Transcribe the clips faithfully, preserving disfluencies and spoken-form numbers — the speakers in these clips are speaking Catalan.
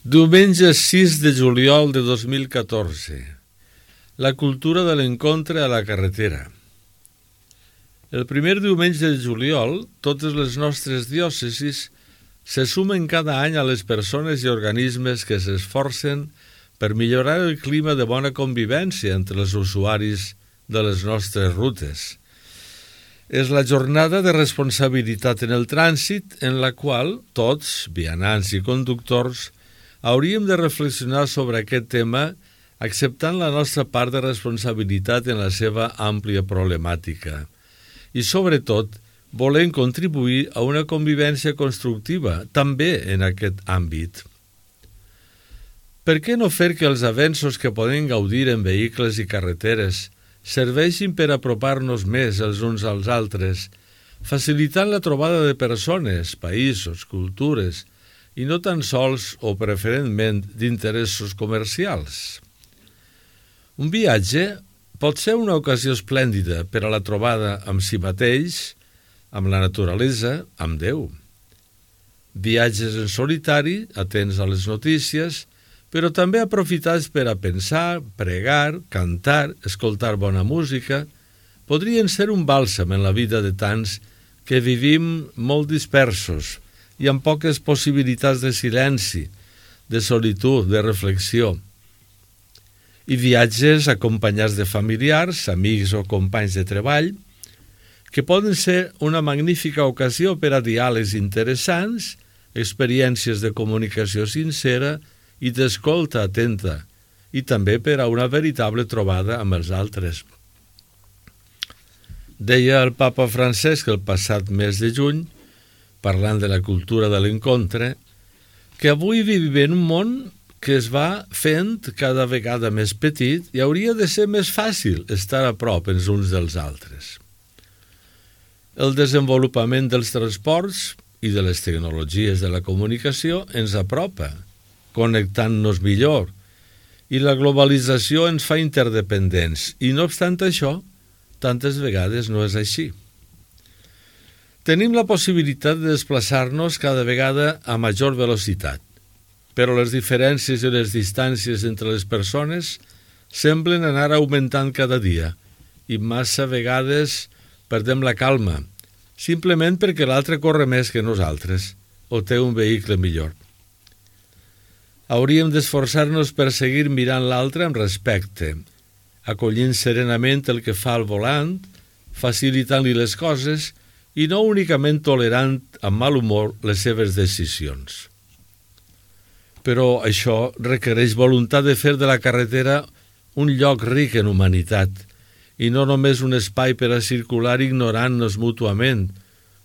Diumenge sis de juliol de dos mil catorze. La cultura de l'encontre a la carretera. El primer diumenge de juliol, totes les nostres diòcesis se sumen cada any a les persones i organismes que s'esforcen per millorar el clima de bona convivència entre els usuaris de les nostres rutes. És la jornada de responsabilitat en el trànsit en la qual tots, vianants i conductors, hauríem de reflexionar sobre aquest tema acceptant la nostra part de responsabilitat en la seva àmplia problemàtica i, sobretot, volent contribuir a una convivència constructiva també en aquest àmbit. Per què no fer que els avenços que podem gaudir en vehicles i carreteres serveixin per apropar-nos més els uns als altres, facilitant la trobada de persones, països, cultures, i no tan sols o preferentment d'interessos comercials? Un viatge pot ser una ocasió esplèndida per a la trobada amb si mateix, amb la naturalesa, amb Déu. Viatges en solitari, atents a les notícies, però també aprofitats per a pensar, pregar, cantar, escoltar bona música, podrien ser un bàlsam en la vida de tants que vivim molt dispersos i amb poques possibilitats de silenci, de solitud, de reflexió. I viatges acompanyats de familiars, amics o companys de treball, que poden ser una magnífica ocasió per a diàlegs interessants, experiències de comunicació sincera i d'escolta atenta, i també per a una veritable trobada amb els altres. Deia el papa Francesc el passat mes de juny, parlant de la cultura de l'encontre, que avui vivim en un món que es va fent cada vegada més petit i hauria de ser més fàcil estar a prop els uns dels altres. El desenvolupament dels transports i de les tecnologies de la comunicació ens apropa, connectant-nos millor, i la globalització ens fa interdependents, i no obstant això, tantes vegades no és així. Tenim la possibilitat de desplaçar-nos cada vegada a major velocitat, però les diferències i les distàncies entre les persones semblen anar augmentant cada dia i massa vegades perdem la calma, simplement perquè l'altre corre més que nosaltres o té un vehicle millor. Hauríem d'esforçar-nos per seguir mirant l'altre amb respecte, acollint serenament el que fa al volant, facilitant-li les coses i no únicament tolerant amb mal humor les seves decisions. Però això requereix voluntat de fer de la carretera un lloc ric en humanitat i no només un espai per a circular ignorant-nos mútuament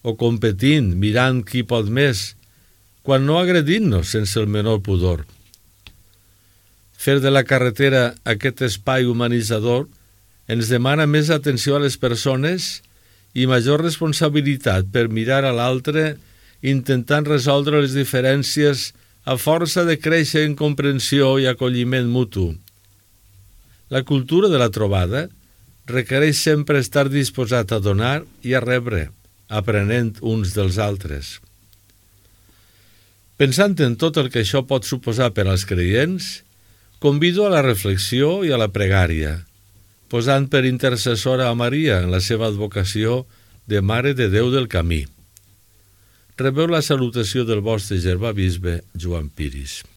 o competint, mirant qui pot més, quan no agredint-nos sense el menor pudor. Fer de la carretera aquest espai humanitzador ens demana més atenció a les persones i major responsabilitat per mirar a l'altre intentant resoldre les diferències a força de créixer en comprensió i acolliment mutu. La cultura de la trobada requereix sempre estar disposat a donar i a rebre, aprenent uns dels altres. Pensant en tot el que això pot suposar per als creients, convido a la reflexió i a la pregària, posant per intercessora a Maria en la seva advocació de Mare de Déu del Camí. Rebeu la salutació del vostre germà bisbe Joan Piris.